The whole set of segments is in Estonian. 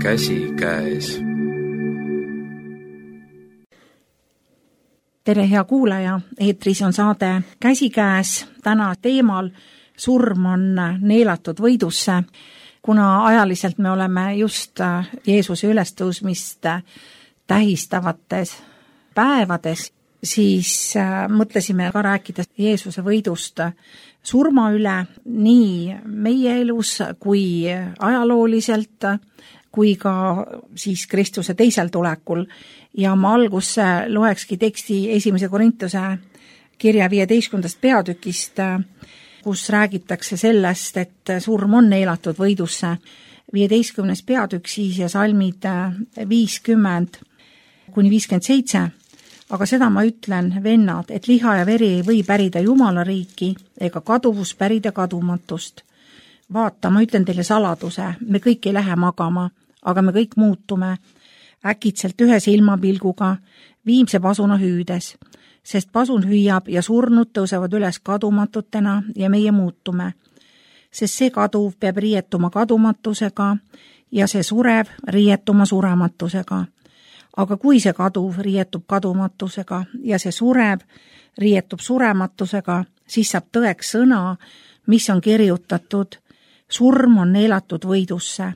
käsikäes. Tere, hea kuulaja, eetris on saade Käsikäes. Täna teemal surm on neelatud võidusse. Kuna ajaliselt me oleme just Jeesuse ülestõusmist tähistavates päevades, siis mõtlesime ka rääkida Jeesuse võidust surma üle nii meie elus kui ajalooliselt, kui ka siis Kristuse teisel tulekul. Ja ma algusse loekski teksti 1. Korintuse kirja 15. peatükist, kus räägitakse sellest, et surm on neelatud võidusse. 15. peatükk siis ja salmid 50 kuni 57. Aga seda ma ütlen, vennad, et liha ja veri ei või pärida Jumala riiki ega kaduvus pärida kadumatust. Vaata, ma ütlen teile saladuse, me kõik ei lähe magama, aga me kõik muutume äkitselt ühe silmapilguga, viimse pasuna hüüdes, sest pasun hüüab ja surnud tõusevad üles kadumatutena ja meie muutume. Sest see kaduv peab riietuma kadumatusega ja see surev riietuma surematusega. Aga kui see kaduv riietub kadumatusega ja see surev riietub surematusega, siis saab tõeks sõna, mis on kirjutatud, surm on neelatud võidusse.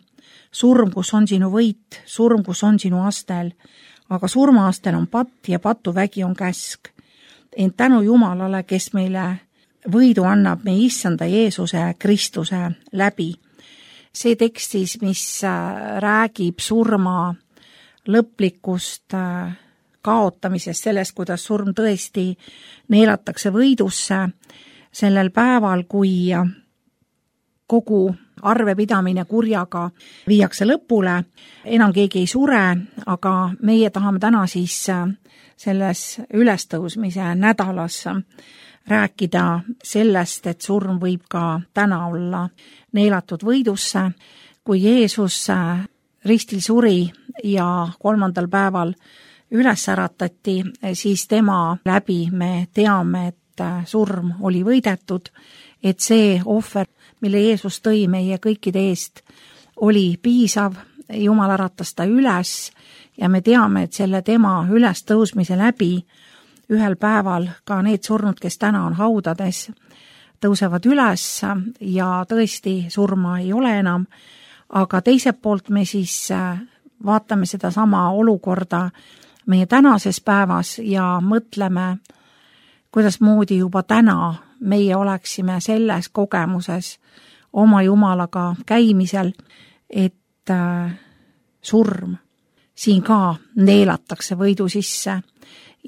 Surm, kus on sinu võit, surm, kus on sinu astel, aga surmaastel on patt ja patuvägi on käsk. Ent tänu Jumalale, kes meile võidu annab meie issanda Jeesuse Kristuse läbi. See tekstis, mis räägib surma lõplikust kaotamisest, sellest, kuidas surm tõesti neelatakse võidusse sellel päeval, kui kogu arvepidamine kurjaga viiakse lõpule. Enam keegi ei sure, aga meie tahame täna siis selles ülestõusmise nädalas rääkida sellest, et surm võib ka täna olla neelatud võidusse. Kui Jeesus ristil suri ja 3. päeval üles äratati, siis tema läbi me teame, et surm oli võidetud, et see ohver, mille Jeesus tõi meie kõikide eest, oli piisav, Jumal äratas ta üles ja me teame, et selle tema ülestõusmise läbi ühel päeval ka need surnud, kes täna on haudades, tõusevad üles ja tõesti surma ei ole enam, aga teiselt poolt me siis vaatame seda sama olukorda meie tänases päevas ja mõtleme, kuidas moodi juba täna meie oleksime selles kogemuses oma Jumalaga käimisel, et surm siin ka neelatakse võidu sisse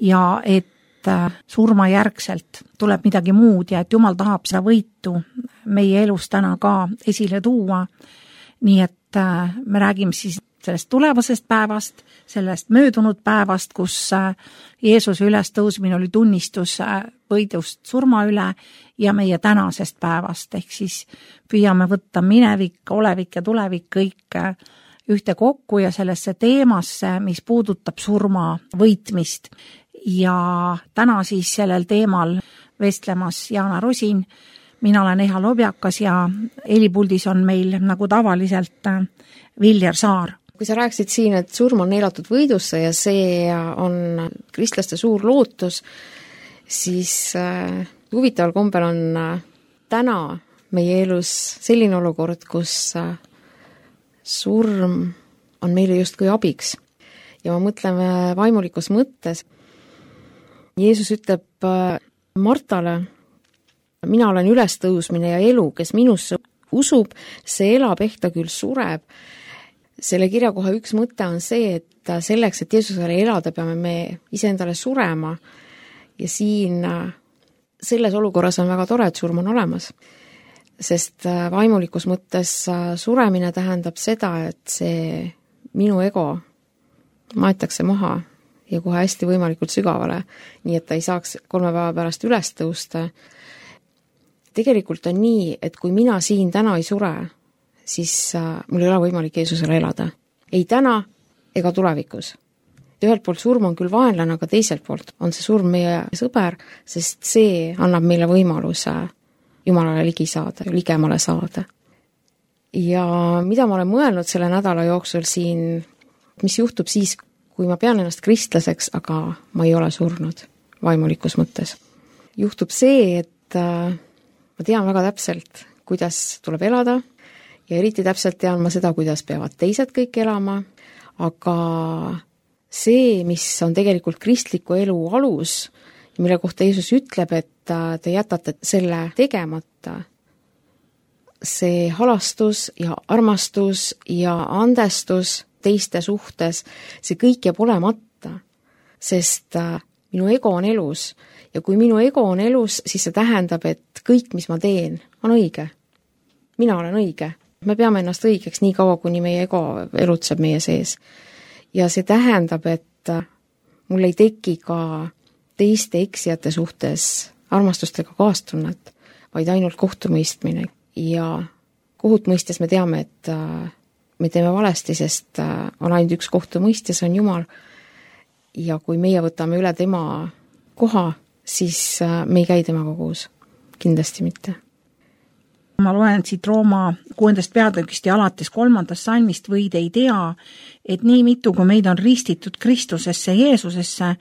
ja et surma järgselt tuleb midagi muud ja et Jumal tahab seda võitu meie elus täna ka esile tuua. Nii et me räägime siis sellest tulevasest päevast, sellest möödunud päevast, kus Jeesuse ülestõusmine oli tunnistus võidust surma üle ja meie tänasest päevast, ehk siis püüame võtta minevik, olevik ja tulevik kõik ühte kokku ja sellesse teemasse, mis puudutab surma võitmist. Ja täna siis sellel teemal vestlemas Jaana Rosin, mina olen Eha Lobjakas ja helipuldis on meil nagu tavaliselt Viljar Saar. Kui sa rääkisid siin, et surm on neelatud võidusse ja see on kristlaste suur lootus, siis huvitaval kombel on täna meie elus selline olukord, kus surm on meile justkui abiks. Ja ma mõtlen vaimulikus mõttes. Jeesus ütleb Martale, mina olen ülestõusmine ja elu, kes minusse usub, see elab, ehk ta küll sureb. Selle kirjakoha üks mõte on see, et selleks, et Jeesusele elada, peame me iseendale surema ja siin selles olukorras on väga tore, et surm on olemas, sest vaimulikus mõttes suremine tähendab seda, et see minu ego maetakse maha ja kohe hästi võimalikult sügavale, nii et ta ei saaks 3 päeva pärast üles tõusta. Tegelikult on nii, et kui mina siin täna ei sure, siis mul ei ole võimalik Jeesusele elada. Ei täna ega tulevikus. Ühelt poolt surm on küll vaenlane, aga teiselt poolt on see surm meie sõber, sest see annab meile võimaluse Jumalale ligi saada, ligemale saada. Ja mida ma olen mõelnud selle nädala jooksul siin, mis juhtub siis, kui ma pean ennast kristlaseks, aga ma ei ole surnud vaimulikus mõttes. Juhtub see, et ma tean väga täpselt, kuidas tuleb elada ja eriti täpselt tean ma seda, kuidas peavad teised kõik elama, aga see, mis on tegelikult kristliku elu alus, mille kohta Jeesus ütleb, et te jätate selle tegemata, see halastus ja armastus ja andestus teiste suhtes, see kõik jääb olemata, sest minu ego on elus ja kui minu ego on elus, siis see tähendab, et kõik, mis ma teen, on õige. Mina olen õige. Me peame ennast õigeks nii kaua, kuni meie ego elutseb meie sees. Ja see tähendab, et mul ei teki ka teiste eksijate suhtes armastustega kaastunnet, vaid ainult kohtumõistmine. Ja kohut mõistes me teame, et me teeme valesti, sest on ainult üks kohtumõistja, see on Jumal. Ja kui meie võtame üle tema koha, siis me ei käi temaga koos. Kindlasti mitte. Ma loen siit Rooma 6. peatükist ja alates 3. salmist võid ei tea, et nii mitu, kui meid on ristitud Kristusesse, Jeesusesse,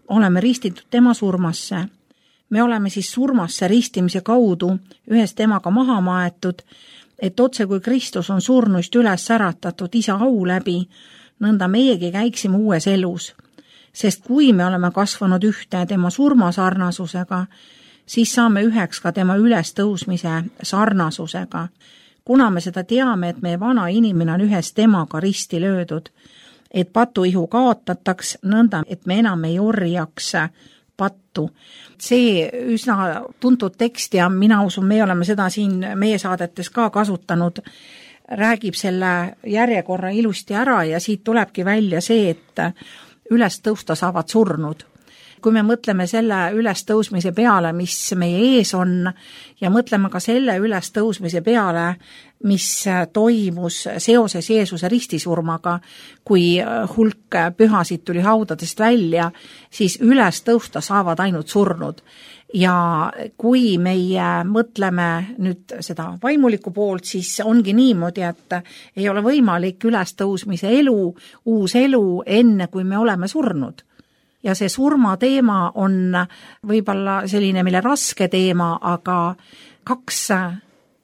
oleme ristitud tema surmasse. Me oleme siis surmasse ristimise kaudu ühes temaga maha maetud, et otse kui Kristus on surnuist üles äratatud isa au läbi, nõnda meiegi käiksime uues elus. Sest kui me oleme kasvanud ühte tema surmasarnasusega, siis saame üheks ka tema ülestõusmise sarnasusega. Kuna me seda teame, et meie vana inimene on ühes temaga risti löödud, et patuihu kaotataks nõnda, et me enam ei orjaks pattu. See üsna tuntud tekst ja mina usun, me oleme seda siin meie saadetes ka kasutanud, räägib selle järjekorra ilusti ära ja siit tulebki välja see, et üles tõusta saavad surnud. Kui me mõtleme selle ülestõusmise peale, mis meie ees on ja mõtleme ka selle ülestõusmise peale, mis toimus seoses Jeesuse ristisurmaga, kui hulk pühasid tuli haudadest välja, siis üles tõusta saavad ainult surnud. Ja kui meie mõtleme nüüd seda vaimulikku poolt, siis ongi niimoodi, et ei ole võimalik ülestõusmise elu, uus elu enne, kui me oleme surnud. Ja see surma teema on võib-olla selline meile raske teema, aga kaks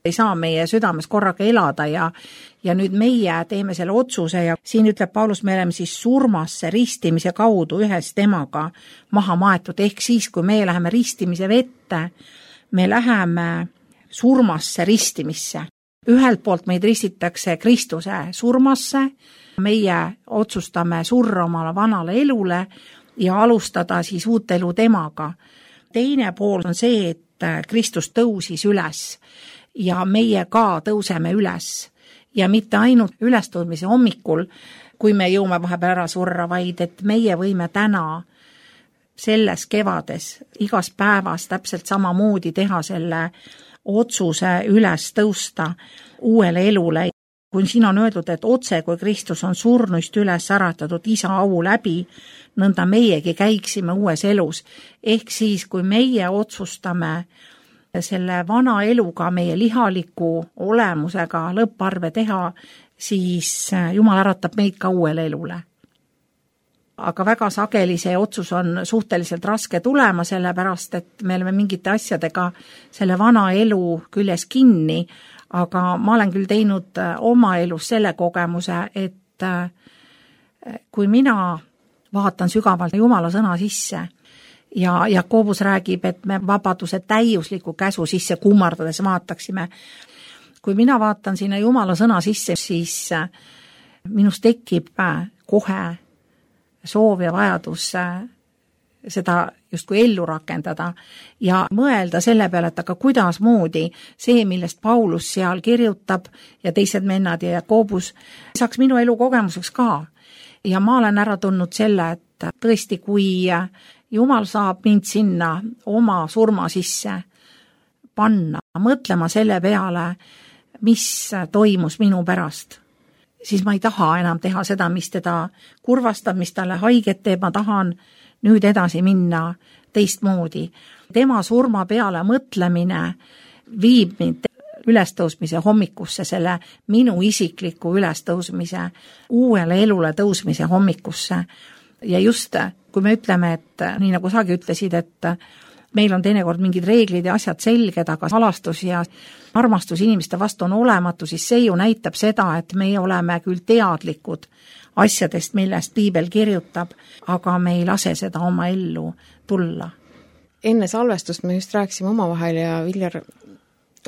ei saa meie südames korraga elada ja nüüd meie teeme selle otsuse ja siin ütleb Paulus, me oleme siis surmasse ristimise kaudu ühes temaga maha maetud, ehk siis, kui me läheme ristimise vette, me läheme surmasse ristimisse. Ühelt poolt meid ristitakse Kristuse surmasse, meie otsustame surra omale vanale elule, ja alustada siis uut elu temaga. Teine pool on see, et Kristus tõusis üles ja meie ka tõuseme üles. Ja mitte ainult ülestõudmise hommikul, kui me jõume vahepeal ära surra, vaid et meie võime täna selles kevades, igas päevas täpselt samamoodi teha selle otsuse üles tõusta uuele elule. Kui siin on öeldud, et otse kui Kristus on surnuist üles äratatud isa au läbi, nõnda meiegi käiksime uues elus. Ehk siis, kui meie otsustame selle vana eluga, meie lihaliku olemusega lõpparve teha, siis Jumal äratab meid ka uuele elule. Aga väga sageli see otsus on suhteliselt raske tulema, sellepärast, et me oleme mingite asjadega selle vana elu küljes kinni, aga ma olen küll teinud oma elus selle kogemuse, et kui mina vaatan sügavalt Jumala sõna sisse ja Jakobus räägib, et me vabaduse täiusliku käsu sisse kummardades vaataksime. Kui mina vaatan sinna Jumala sõna sisse, siis minus tekib kohe soov ja vajadus seda justkui ellu rakendada ja mõelda selle peale, et aga kuidas moodi see, millest Paulus seal kirjutab ja teised mennad ja Jakobus, saaks minu elu kogemuseks ka. Ja ma olen ära tundnud selle, et tõesti, kui Jumal saab mind sinna oma surma sisse panna, mõtlema selle peale, mis toimus minu pärast, siis ma ei taha enam teha seda, mis teda kurvastab, mis talle haiget teeb, ma tahan nüüd edasi minna teistmoodi. Tema surma peale mõtlemine viib mind ülestõusmise hommikusse, selle minu isikliku ülestõusmise, uuele elule tõusmise hommikusse. Ja just, kui me ütleme, et nii nagu sagi ütlesid, et meil on teinekord mingid reeglid ja asjad selged, aga salastus ja armastus inimeste vastu on olematu, siis see ju näitab seda, et meie oleme küll teadlikud asjadest, millest piibel kirjutab, aga me ei lase seda oma ellu tulla. Enne salvestust me just rääkisime omavahel ja Viljar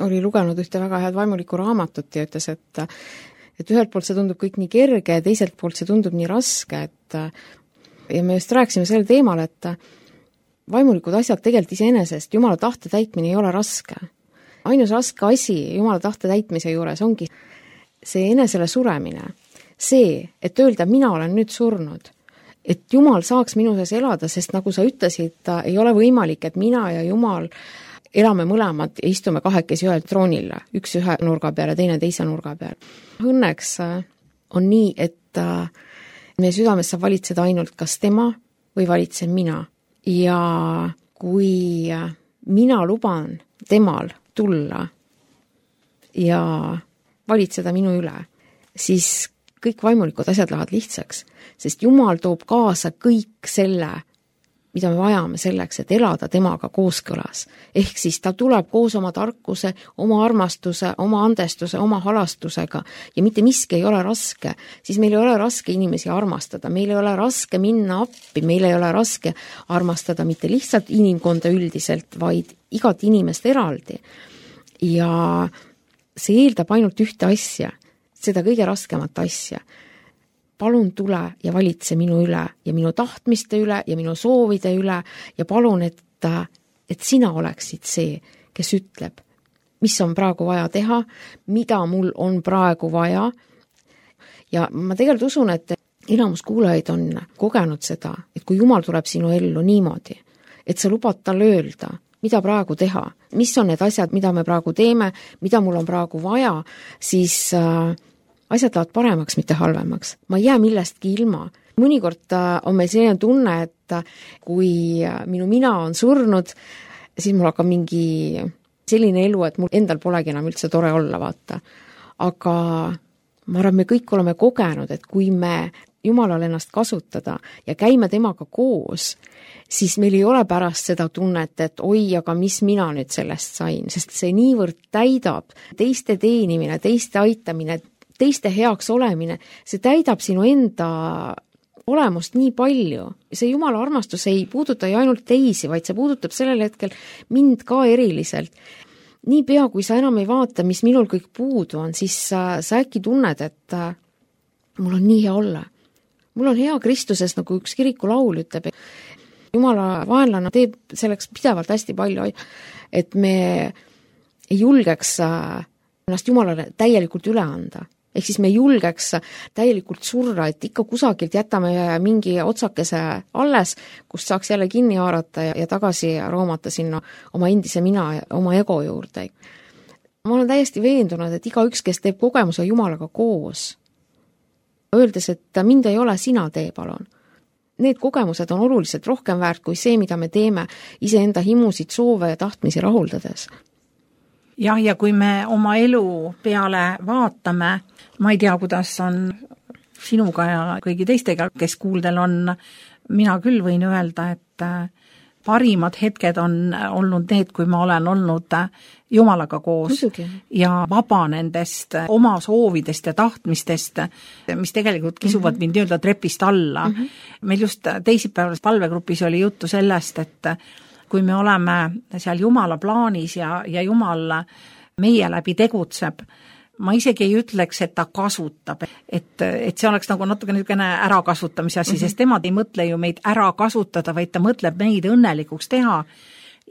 oli lugenud ühte väga head vaimulikku raamatut ja ütles, et ühelt poolt see tundub kõik nii kerge ja teiselt poolt see tundub nii raske, ja me just rääkisime sel teemal, et vaimulikud asjad tegelikult iseenesest, Jumala tahte täitmine ei ole raske. Ainus raske asi Jumala tahte täitmise juures ongi see enesele suremine. See, et öelda, mina olen nüüd surnud, et Jumal saaks minu sees elada, sest nagu sa ütlesid, ei ole võimalik, et mina ja Jumal elame mõlemad ja istume kahekesi ühel troonil, üks ühe nurga peal ja teine teise nurga peal. Õnneks on nii, et meie südames saab valitseda ainult kas tema või valitsen mina. Ja kui mina luban temal tulla ja valitseda minu üle, siis kõik vaimulikud asjad lähevad lihtsaks, sest Jumal toob kaasa kõik selle, mida me vajame selleks, et elada temaga kooskõlas. Ehk siis ta tuleb koos oma tarkuse, oma armastuse, oma andestuse, oma halastusega ja mitte miski ei ole raske. Siis meil ei ole raske inimesi armastada, meil ei ole raske minna appi, meil ei ole raske armastada mitte lihtsalt inimkonda üldiselt, vaid igat inimest eraldi. Ja see eeldab ainult ühte asja, seda kõige raskemat asja. Palun tule ja valitse minu üle ja minu tahtmiste üle ja minu soovide üle ja palun, et sina oleksid see, kes ütleb, mis on praegu vaja teha, mida mul on praegu vaja. Ja ma tegelikult usun, et enamus kuulajaid on kogenud seda, et kui Jumal tuleb sinu ellu niimoodi, et sa lubad tal öelda, mida praegu teha, mis on need asjad, mida me praegu teeme, mida mul on praegu vaja, siis asjad lähevad paremaks, mitte halvemaks. Ma ei jää millestki ilma. Mõnikord on meil selline tunne, et kui minu mina on surnud, siis mul hakkab mingi selline elu, et mul endal polegi enam üldse tore olla, vaata. Aga ma arvan, me kõik oleme kogenud, et kui me Jumalal ennast kasutada ja käime temaga koos, siis meil ei ole pärast seda tunnet, et oi, aga mis mina nüüd sellest sain, sest see niivõrd täidab teiste teenimine, teiste aitamine, teiste heaks olemine, see täidab sinu enda olemust nii palju. See Jumala armastus ei puuduta ju ainult teisi, vaid see puudutab sellel hetkel mind ka eriliselt. Nii pea, kui sa enam ei vaata, mis minul kõik puudu on, siis sa äkki tunned, et mul on nii hea olla. Mul on hea Kristuses, nagu üks kirikulaul ütleb. Jumala vaenlane teeb selleks pidevalt hästi palju, et me ei julgeks ennast Jumalale täielikult üle anda. Ehk siis me julgeks täielikult surra, et ikka kusagilt jätame mingi otsakese alles, kust saaks jälle kinni haarata ja tagasi roomata sinna oma endise mina ja oma ego juurde. Ma olen täiesti veendunud, et iga üks, kes teeb kogemuse Jumalaga koos, öeldes, et mind ei ole, sina tee, palun. Need kogemused on oluliselt rohkem väärt kui see, mida me teeme iseenda himusid, soove ja tahtmisi rahuldades. Jah, ja kui me oma elu peale vaatame, ma ei tea, kuidas on sinuga ja kõigi teistega, kes kuuldel on, mina küll võin öelda, et parimad hetked on olnud need, kui ma olen olnud Jumalaga koos ja vaba nendest oma soovidest ja tahtmistest, mis tegelikult kisuvad mind öelda trepist alla. Meil just teisipäevas palvegrupis oli juttu sellest, et kui me oleme seal Jumala plaanis ja Jumal meie läbi tegutseb, ma isegi ei ütleks, et ta kasutab, et see oleks nagu natuke niisugune ärakasutamise asi, sest tema ei mõtle ju meid ära kasutada, vaid ta mõtleb meid õnnelikuks teha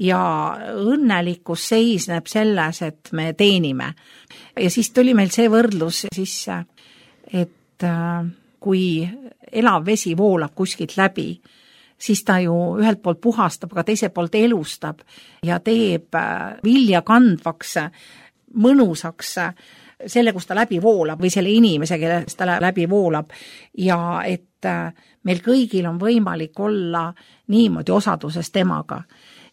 ja õnnelikkus seisneb selles, et me teenime. Ja siis tuli meil see võrdlus sisse, et kui elav vesi voolab kuskilt läbi, siis ta ju ühelt poolt puhastab, aga teiselt poolt elustab ja teeb vilja kandvaks, mõnusaks selle, kus ta läbi voolab või selle inimese, kellest ta läbi voolab ja et meil kõigil on võimalik olla niimoodi osaduses temaga.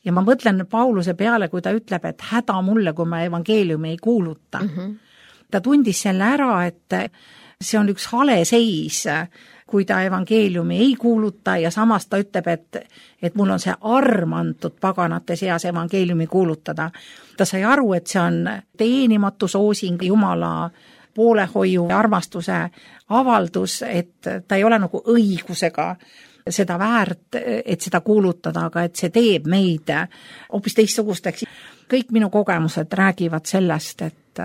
ja ma mõtlen Pauluse peale, kui ta ütleb, et häda mulle, kui ma evangeeliumi ei kuuluta. Ta tundis selle ära, et see on üks hale seis, kui ta evangeeliumi ei kuuluta ja samas ta ütleb, et mul on see arm antud paganate seas evangeeliumi kuulutada. Ta sai aru, et see on teenimatu soosing Jumala poolehoiu ja armastuse avaldus, et ta ei ole nagu õigusega seda väärt, et seda kuulutada, aga et see teeb meid hoopis teistsugusteks. Kõik minu kogemused räägivad sellest, et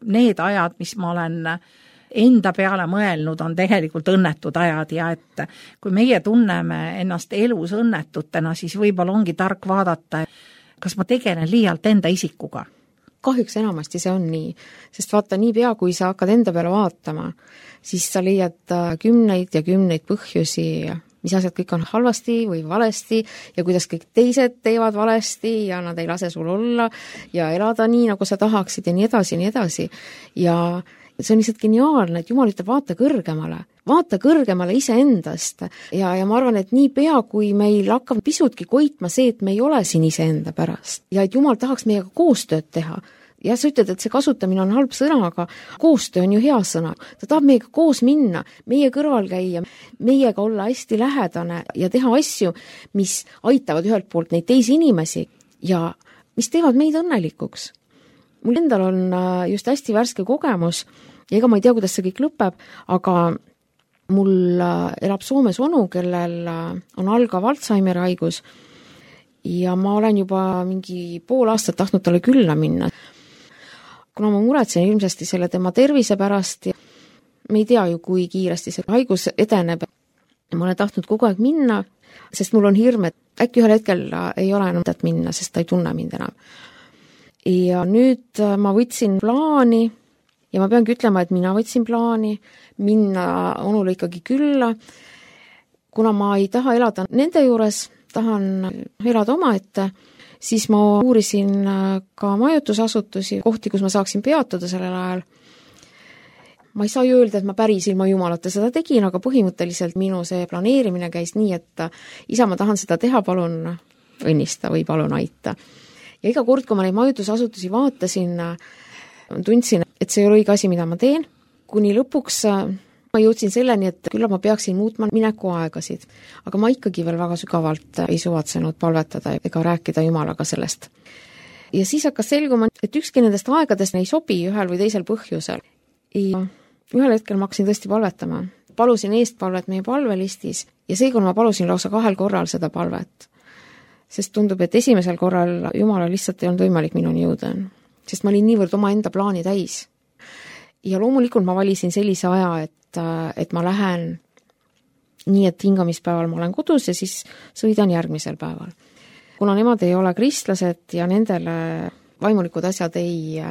need ajad, mis ma olen enda peale mõelnud, on tegelikult õnnetud ajad ja et kui meie tunneme ennast elus õnnetutena, siis võib-olla ongi tark vaadata, kas ma tegelen liialt enda isikuga. Kahjuks enamasti see on nii, sest vaata, niipea kui sa hakkad enda peale vaatama, siis sa leiad kümneid ja kümneid põhjusi, mis asjad kõik on halvasti või valesti ja kuidas kõik teised teevad valesti ja nad ei lase sul olla ja elada nii, nagu sa tahaksid ja nii edasi. Ja see on lihtsalt geniaalne, et Jumal ütleb, vaata kõrgemale iseendast ja ma arvan, et nii pea, kui meil hakkab pisutki koitma see, et me ei ole siin iseenda pärast ja et Jumal tahaks meiega koostööd teha. Ja sa ütled, et see kasutamine on halb sõna, aga koostöö on ju hea sõna. Ta tahab meiega koos minna, meie kõrval käia, meiega olla hästi lähedane ja teha asju, mis aitavad ühelt poolt neid teisi inimesi ja mis teevad meid õnnelikuks. Mul endal on just hästi värske kogemus ja ega ma ei tea, kuidas see kõik lõpeb, aga mul elab Soomes onu, kellel on algav Alzheimeri haigus ja ma olen juba mingi pool aastat tahtnud talle külla minna. Kuna ma muretsen ilmsesti selle tema tervise pärast ja me ei tea ju, kui kiiresti see haigus edeneb. Ma olen tahtnud kogu aeg minna, sest mul on hirm, et äkki ühel hetkel ei ole enam mõtet minna, sest ta ei tunne mind enam. Ja nüüd ma võtsin plaani ja ma peangi ütlema, et mina võtsin plaani minna onule ikkagi külla. Kuna ma ei taha elada nende juures, tahan elada omaette, siis ma uurisin ka majutusasutusi, kohti, kus ma saaksin peatuda sellel ajal. Ma ei saa ju öelda, et ma päris ilma Jumalata seda tegin, aga põhimõtteliselt minu see planeerimine käis nii, et isa, ma tahan seda teha, palun õnnista või palun aita. Ja iga kord, kui ma neid majutusasutusi vaatasin, tundsin, et see ei ole õige asi, mida ma teen. Kuni lõpuks ma jõudsin selleni, et küll ma peaksin muutma minekuaegasid, aga ma ikkagi veel väga sügavalt ei suvatsenud palvetada ega rääkida Jumalaga sellest. Ja siis hakkas selguma, et ükski nendest aegadest ei sobi ühel või teisel põhjusel. Ja ühel hetkel ma hakkasin tõesti palvetama. Palusin eestpalvet meie palvelistis ja seekord ma palusin lausa 2 korral seda palvet. Sest tundub, et esimesel korral Jumala lihtsalt ei olnud võimalik minuni jõuda, sest ma olin niivõrd oma enda plaani täis. Ja loomulikult ma valisin sellise aja, et ma lähen nii, et hingamispäeval ma olen kodus ja siis sõidan järgmisel päeval. Kuna nemad ei ole kristlased ja nendele vaimulikud asjad ei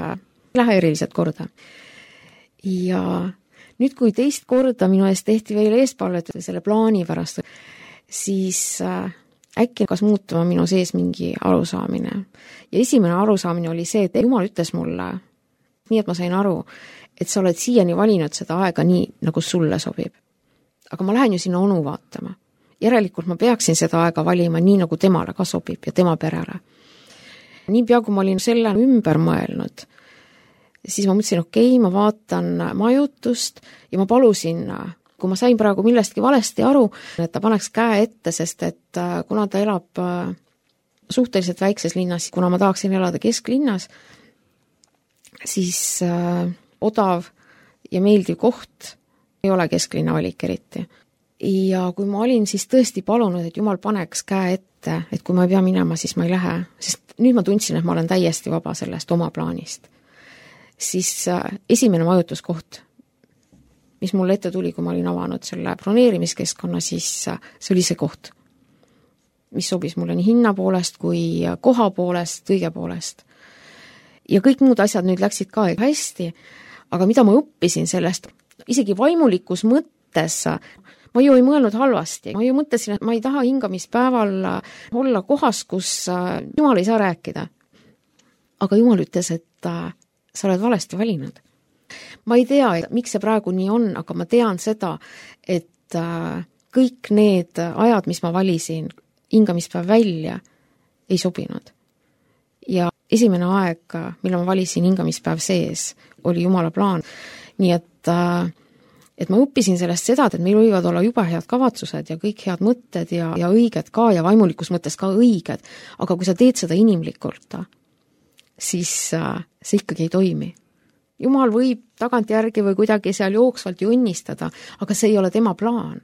lähe eriliselt korda. Ja nüüd, kui teist korda minu eest tehti veel eespalvet selle plaani pärast, siis äkki hakkas muutuma minu sees mingi arusaamine. Ja esimene arusaamine oli see, et Jumal ütles mulle, nii et ma sain aru, et sa oled siiani valinud seda aega nii, nagu sulle sobib. Aga ma lähen ju sinna onu vaatama. Järelikult ma peaksin seda aega valima nii, nagu temale ka sobib ja tema perele. Nii pea, kui ma olin selle ümber mõelnud, siis ma mõtlesin, okei, ma vaatan majutust ja ma palusin, kui ma sain praegu millestki valesti aru, et ta paneks käe ette, sest et kuna ta elab suhteliselt väikses linnas, kuna ma tahaksin elada kesklinnas, siis odav ja meeldiv koht ei ole kesklinna valik eriti. Ja kui ma olin siis tõesti palunud, et Jumal paneks käe ette, et kui ma ei pea minema, siis ma ei lähe, sest nüüd ma tundsin, et ma olen täiesti vaba sellest oma plaanist. Siis esimene majutuskoht, mis mulle ette tuli, kui ma olin avanud selle broneerimiskeskkonna, siis see oli see koht, mis sobis mulle nii hinna poolest kui koha poolest, kõige poolest. Ja kõik muud asjad nüüd läksid ka hästi, aga mida ma õppisin sellest, isegi vaimulikus mõttes, ma ju ei mõelnud halvasti, ma ju mõtlesin, et ma ei taha hingamispäeval olla kohas, kus Jumal ei saa rääkida. Aga Jumal ütles, et sa oled valesti valinud. Ma ei tea, miks see praegu nii on, aga ma tean seda, et kõik need ajad, mis ma valisin hingamispäev välja, ei sobinud. Ja esimene aeg, mille ma valisin hingamispäev sees, oli Jumala plaan. Nii et ma õppisin sellest seda, et meil võivad olla jube head kavatsused ja kõik head mõtted ja õiged ka ja vaimulikus mõttes ka õiged, aga kui sa teed seda inimlikult, siis see ikkagi ei toimi. Jumal võib tagantjärgi või kuidagi seal jooksvalt jonnistada, aga see ei ole tema plaan.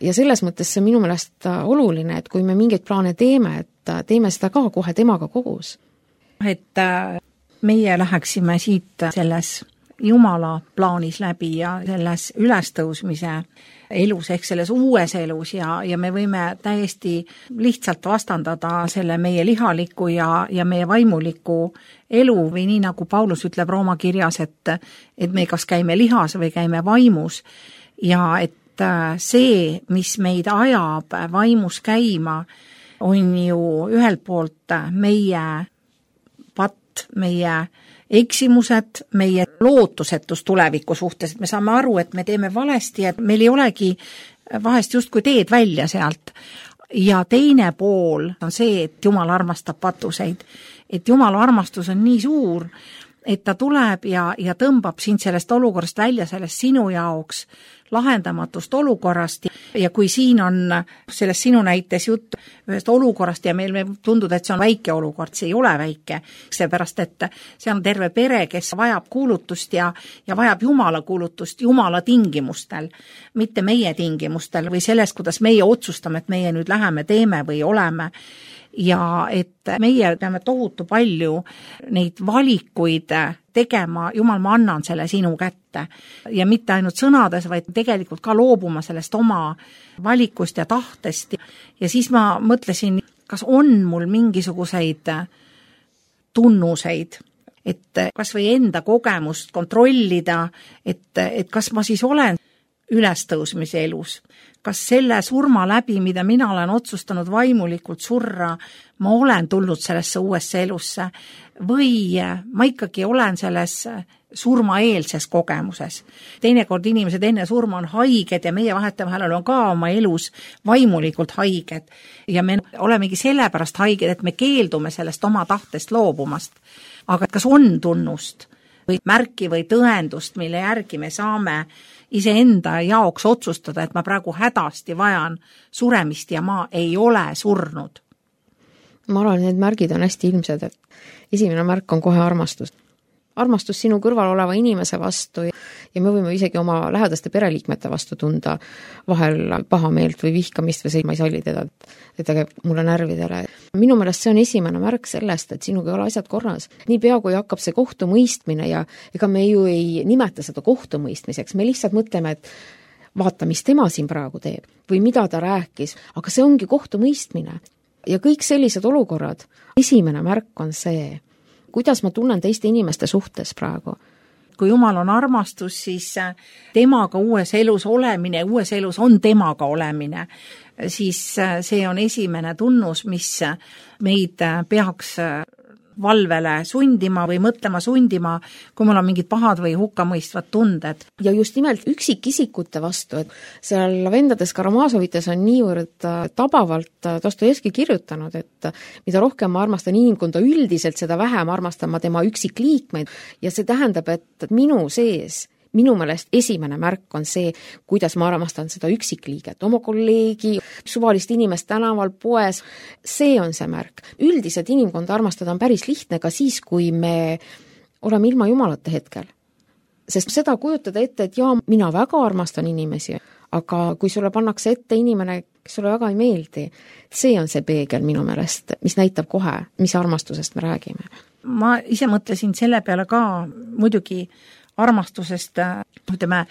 Ja selles mõttes see minu meelest oluline, et kui me mingeid plaane teeme, et teeme seda ka kohe temaga koos. Et meie läheksime siit selles Jumala plaanis läbi ja selles ülestõusmise elus ehk selles uues elus ja me võime täiesti lihtsalt vastandada selle meie lihaliku ja meie vaimuliku elu või nii nagu Paulus ütleb Rooma kirjas, et me kas käime lihas või käime vaimus ja et see, mis meid ajab vaimus käima, on ju ühelt poolt meie patt, meie eksimused, meie lootusetus tuleviku suhtes, et me saame aru, et me teeme valesti, et meil ei olegi vahest justkui teed välja sealt. Ja teine pool on see, et Jumal armastab patuseid. Et Jumala armastus on nii suur, et ta tuleb ja tõmbab sind sellest olukorrast välja, sellest sinu jaoks lahendamatust olukorrast ja kui siin on selles sinu näites jutt ühest olukorrast ja meil tundub, et see on väike olukord, see ei ole väike, seepärast et see on terve pere, kes vajab kuulutust ja vajab Jumala kuulutust Jumala tingimustel, mitte meie tingimustel või selles, kuidas meie otsustame, et meie nüüd läheme, teeme või oleme. Ja et meie peame tohutu palju neid valikuid tegema, Jumal, ma annan selle sinu kätte ja mitte ainult sõnades, vaid tegelikult ka loobuma sellest oma valikust ja tahtest ja siis ma mõtlesin, kas on mul mingisuguseid tunnuseid, et kas või enda kogemust kontrollida, et kas ma siis olen ülestõusmise elus. Kas selle surma läbi, mida mina olen otsustanud vaimulikult surra, ma olen tulnud sellesse uuesse elusse või ma ikkagi olen selles surmaeelses kogemuses. Teinekord inimesed enne surma on haiged ja meie vahetevahel on ka oma elus vaimulikult haiged ja me olemegi sellepärast haiged, et me keeldume sellest oma tahtest loobumast. Aga kas on tunnust või märki või tõendust, mille järgi me saame iseenda jaoks otsustada, et ma praegu hädasti vajan suremist ja ma ei ole surnud? Ma arvan, need märgid on hästi ilmsed, et esimene märk on kohe armastus. Armastus sinu kõrval oleva inimese vastu ja me võime isegi oma lähedaste pereliikmete vastu tunda vahel pahameelt või vihkamist või see, ma ei salli teda, et ta käib mulle närvidele. Minu meelest see on esimene märk sellest, et sinuga ei ole asjad korras. Niipea kui hakkab see kohtumõistmine ja ega me ju ei nimeta seda kohtumõistmiseks, me lihtsalt mõtleme, et vaata, mis tema siin praegu teeb või mida ta rääkis, aga see ongi kohtumõistmine. Ja kõik sellised olukorrad, esimene märk on see, kuidas ma tunnen teiste inimeste suhtes praegu. Kui Jumal on armastus, siis temaga uues elus olemine, uues elus on temaga olemine, siis see on esimene tunnus, mis meid peaks valvele sundima või mõtlema sundima, kui mul on mingid pahad või hukkamõistvad tunded. Ja just nimelt üksikisikute vastu, et seal Vendades Karamazovites on niivõrd tabavalt Dostojevski kirjutanud, et mida rohkem ma armastan inimkonda üldiselt, seda vähem armastan ma tema üksikliikmeid ja see tähendab, et minu sees minu meelest esimene märk on see, kuidas ma armastan seda üksikliiget, oma kolleegi, suvalist inimest tänaval, poes, see on see märk. Üldiselt inimkonda armastada on päris lihtne ka siis, kui me oleme ilma Jumalata hetkel. Sest seda kujutada ette, et jaa, mina väga armastan inimesi, aga kui sulle pannakse ette inimene, kes sulle väga ei meeldi, see on see peegel minu meelest, mis näitab kohe, mis armastusest me räägime. Ma ise mõtlesin selle peale ka muidugi armastusest, ütleme,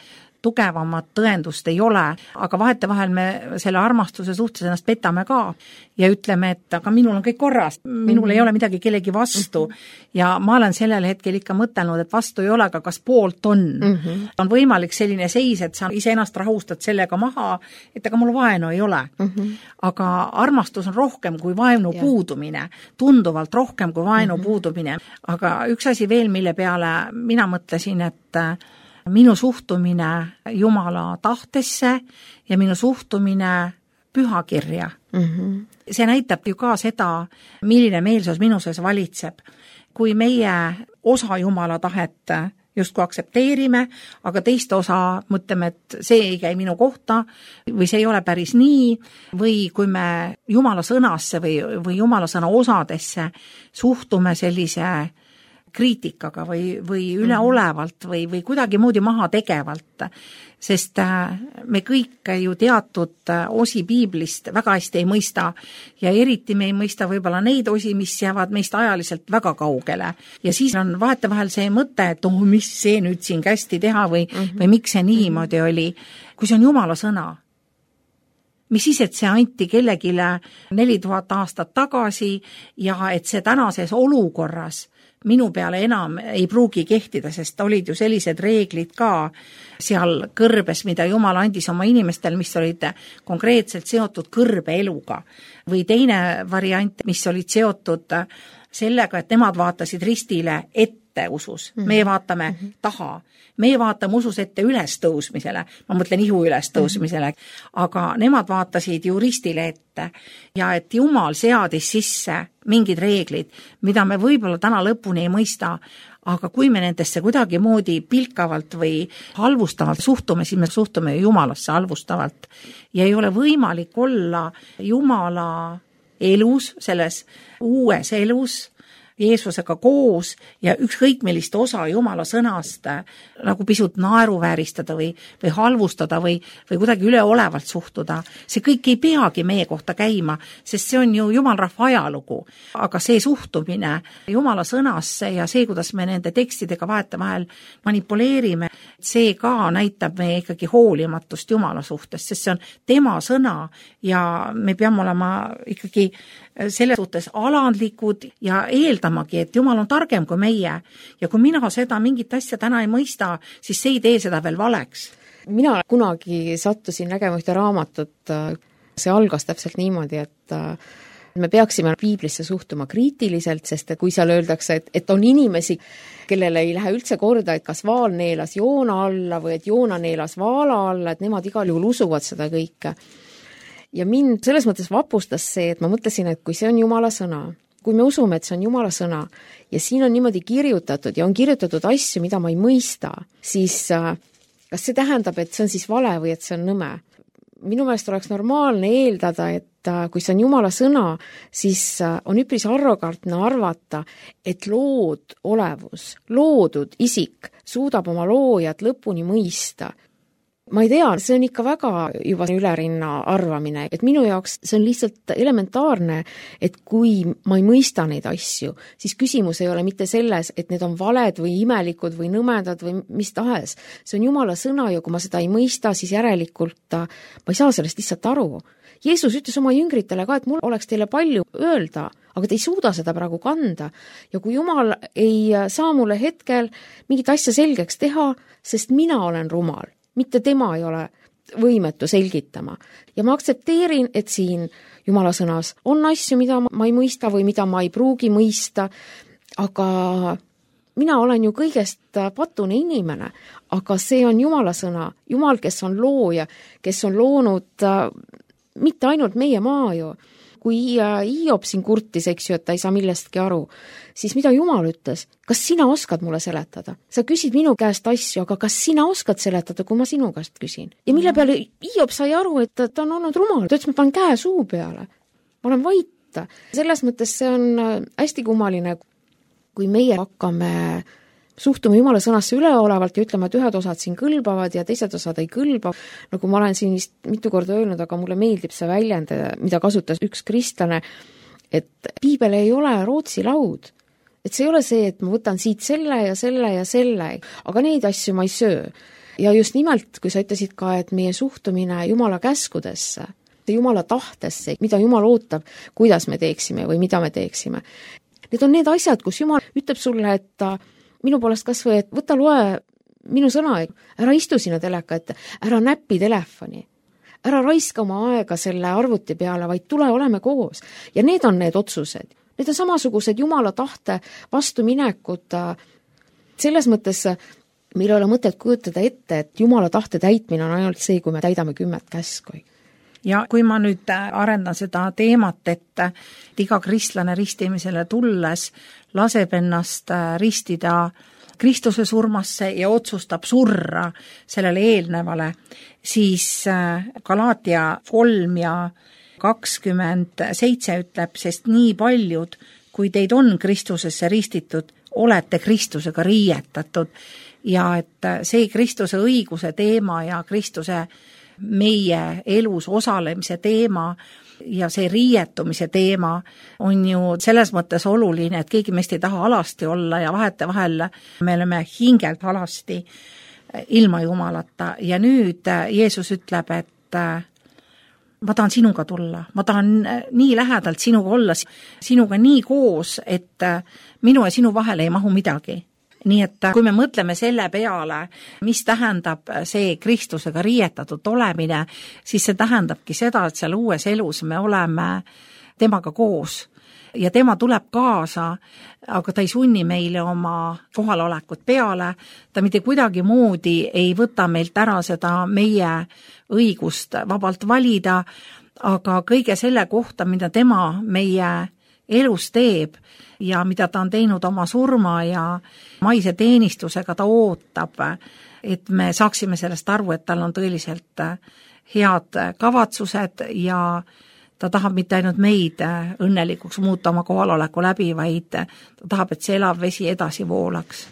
tugevamat tõendust ei ole, aga vahetevahel me selle armastuse suhtes ennast petame ka ja ütleme, et aga minul on kõik korras, minul ei ole midagi kellegi vastu ja ma olen sellel hetkel ikka mõtelnud, et vastu ei ole, aga kas poolt on. On võimalik selline seis, et sa iseennast rahustad sellega maha, et aga mul vaenu ei ole. Aga armastus on rohkem kui vaenu puudumine, tunduvalt rohkem kui vaenu puudumine. Aga üks asi veel, mille peale mina mõtlesin, et minu suhtumine Jumala tahtesse ja minu suhtumine pühakirja. See näitab ju ka seda, milline meelsus minu sees valitseb. Kui meie osa Jumala tahet justkui aktsepteerime, aga teist osa mõtleme, et see ei käi minu kohta või see ei ole päris nii, või kui me Jumala sõnasse või Jumala sõna osadesse suhtume sellise kriitikaga või üleolevalt või kuidagi moodi maha tegevalt, sest me kõik ju teatud osi piiblist väga hästi ei mõista ja eriti me ei mõista võib-olla neid osi, mis jäävad meist ajaliselt väga kaugele. Ja siis on vahetevahel see mõte, et mis see nüüd siin kästi teha või miks see niimoodi oli, kui see on Jumala sõna. Mis siis, et see anti kellegile 4000 aastat tagasi ja et see tänases olukorras minu peale enam ei pruugi kehtida, sest olid ju sellised reeglid ka seal kõrbes, mida Jumal andis oma inimestel, mis olid konkreetselt seotud kõrbeeluga. Või teine variant, mis olid seotud sellega, et nemad vaatasid ristile ette usus. Meie vaatame taha. Meie vaatame usus ette ülestõusmisele, ma mõtlen ihu ülestõusmisele, aga nemad vaatasid ju ristile ette ja et Jumal seadis sisse mingid reeglid, mida me võib-olla täna lõpuni ei mõista, aga kui me nendesse kuidagi moodi pilkavalt või halvustavalt suhtume, siis me suhtume Jumalasse halvustavalt ja ei ole võimalik olla Jumala elus, selles uues elus, Jeesusega koos ja ükskõik millist osa Jumala sõnast nagu pisut naeruvääristada või halvustada või kuidagi üleolevalt suhtuda. See kõik ei peagi meie kohta käima, sest see on ju Jumalrahva ajalugu. Aga see suhtumine Jumala sõnasse ja see, kuidas me nende tekstidega vahetevahel manipuleerime, see ka näitab meie ikkagi hoolimatust Jumala suhtes, sest see on tema sõna ja me peame olema ikkagi selle suhtes alandlikud ja eeldamagi, et Jumal on targem kui meie ja kui mina seda mingit asja täna ei mõista, siis see ei tee seda veel valeks. Mina kunagi sattusin nägema ühte raamatut, see algas täpselt niimoodi, et me peaksime piiblisse suhtuma kriitiliselt, sest kui seal öeldakse, et on inimesi, kellele ei lähe üldse korda, et kas Vaal neelas Joona alla või et Joona neelas Vaala alla, et nemad igal juhul usuvad seda kõike. Ja mind selles mõttes vapustas see, et ma mõtlesin, et kui see on Jumala sõna, kui me usume, et see on Jumala sõna ja siin on niimoodi kirjutatud ja on kirjutatud asju, mida ma ei mõista, siis kas see tähendab, et see on siis vale või et see on nõme? Minu meelest oleks normaalne eeldada, et kui see on Jumala sõna, siis on üpris arrogantne arvata, et lood olevus, loodud isik suudab oma loojat lõpuni mõista. Ma ei tea, see on ikka väga juba ülerinna arvamine, et minu jaoks see on lihtsalt elementaarne, et kui ma ei mõista neid asju, siis küsimus ei ole mitte selles, et need on valed või imelikud või nõmedad või mis tahes. See on Jumala sõna ja kui ma seda ei mõista, siis järelikult ma ei saa sellest lihtsalt aru. Jeesus ütles oma jüngritele ka, et mul oleks teile palju öelda, aga te ei suuda seda praegu kanda. Ja kui Jumal ei saa mulle hetkel mingit asja selgeks teha, sest mina olen rumal, mitte tema ei ole võimetu selgitama. Ja ma aktsepteerin, et siin Jumala sõnas on asju, mida ma ei mõista või mida ma ei pruugi mõista, aga mina olen ju kõigest patune inimene, aga see on Jumala sõna. Jumal, kes on looja, kes on loonud mitte ainult meie maa ju. Kui Hiob siin kurtis, eks ju, et ta ei saa millestki aru, siis mida Jumal ütles? Kas sina oskad mulle seletada? Sa küsid minu käest asju, aga kas sina oskad seletada, kui ma sinu käest küsin? Ja mille peale Hiob sai aru, et ta on olnud rumal. Ta ütles, ma panen käe suu peale. Ma olen vait. Selles mõttes see on hästi kummaline, kui meie hakkame suhtume Jumala sõnasse üleolevalt ja ütleme, et ühed osad siin kõlbavad ja teised osad ei kõlba. Nagu ma olen siin vist mitu korda öelnud, aga mulle meeldib see väljend, mida kasutas üks kristlane, et piibel ei ole Rootsi laud. Et see ei ole see, et ma võtan siit selle ja selle ja selle, aga neid asju ma ei söö. Ja just nimelt, kui sa ütlesid ka, et meie suhtumine Jumala käskudesse, Jumala tahtesse, mida Jumal ootab, kuidas me teeksime või mida me teeksime. Need on need asjad, kus Jumal ütleb sulle, et minu poolest kas või, et võta loe minu sõna, ära istu sinna teleka ette, ära näppi telefoni, ära raiska oma aega selle arvuti peale, vaid tule oleme koos. Ja need on need otsused. Need on samasugused Jumala tahte vastuminekud. Selles mõttes meil ei ole mõtet kujutada ette, et Jumala tahte täitmine on ainult see, kui me täidame 10 käsku. Ja kui ma nüüd arendan seda teemat, et iga kristlane ristimisele tulles laseb ennast ristida Kristuse surmasse ja otsustab surra sellele eelnevale, siis Galaatia 3 ja 27 ütleb, sest nii paljud, kui teid on Kristusesse ristitud, olete Kristusega riietatud ja et see Kristuse õiguse teema ja Kristuse meie elus osalemise teema ja see riietumise teema on ju selles mõttes oluline, et keegi meist ei taha alasti olla ja vahetevahel me oleme hingelt alasti ilma Jumalata ja nüüd Jeesus ütleb, et ma tahan sinuga tulla, ma tahan nii lähedalt sinuga olla, sinuga nii koos, et minu ja sinu vahele ei mahu midagi. Nii et kui me mõtleme selle peale, mis tähendab see Kristusega riietatud olemine, siis see tähendabki seda, et seal uues elus me oleme temaga koos ja tema tuleb kaasa, aga ta ei sunni meile oma kohalolekut peale, ta mitte kuidagi moodi ei võta meilt ära seda meie õigust vabalt valida, aga kõige selle kohta, mida tema meie elus teeb ja mida ta on teinud oma surma ja maise teenistusega, ta ootab, et me saaksime sellest aru, et tal on tõeliselt head kavatsused ja ta tahab mitte ainult meid õnnelikuks muuta oma kohaloleku läbi, vaid ta tahab, et see elav vesi edasi voolaks.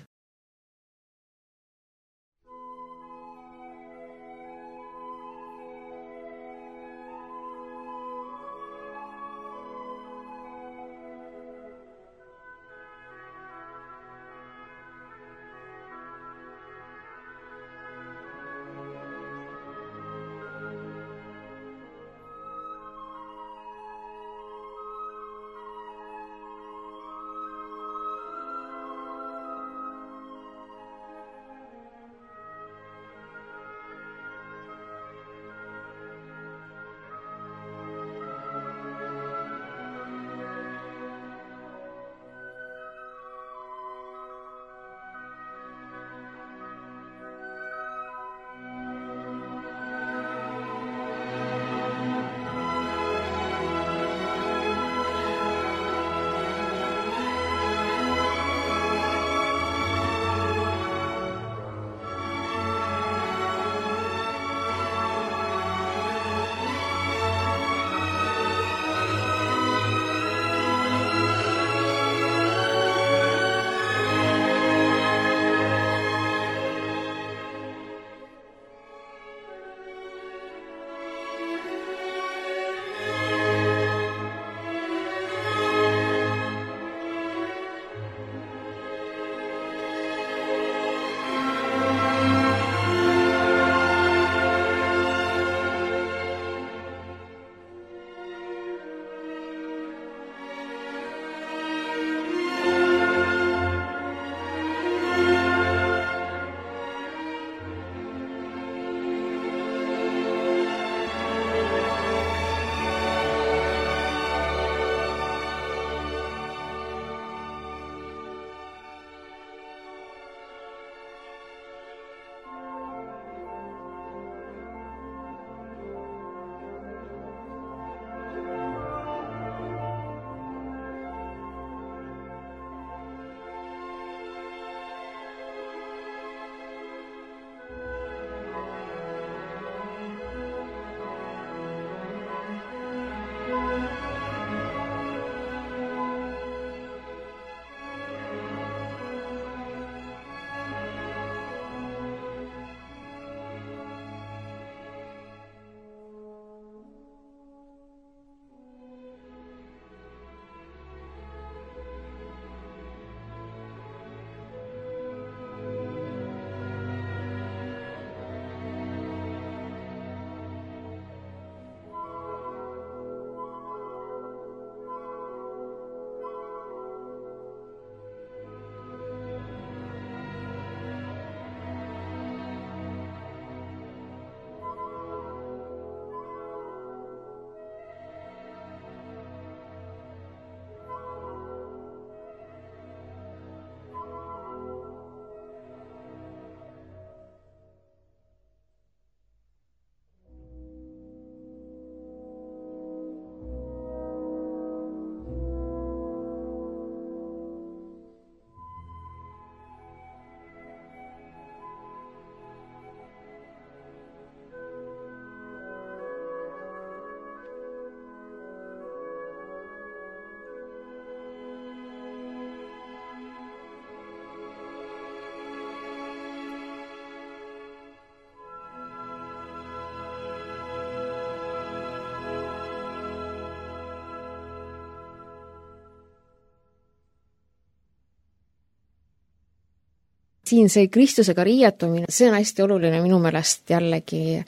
siin see Kristusega riietumine, see on hästi oluline minu meelest jällegi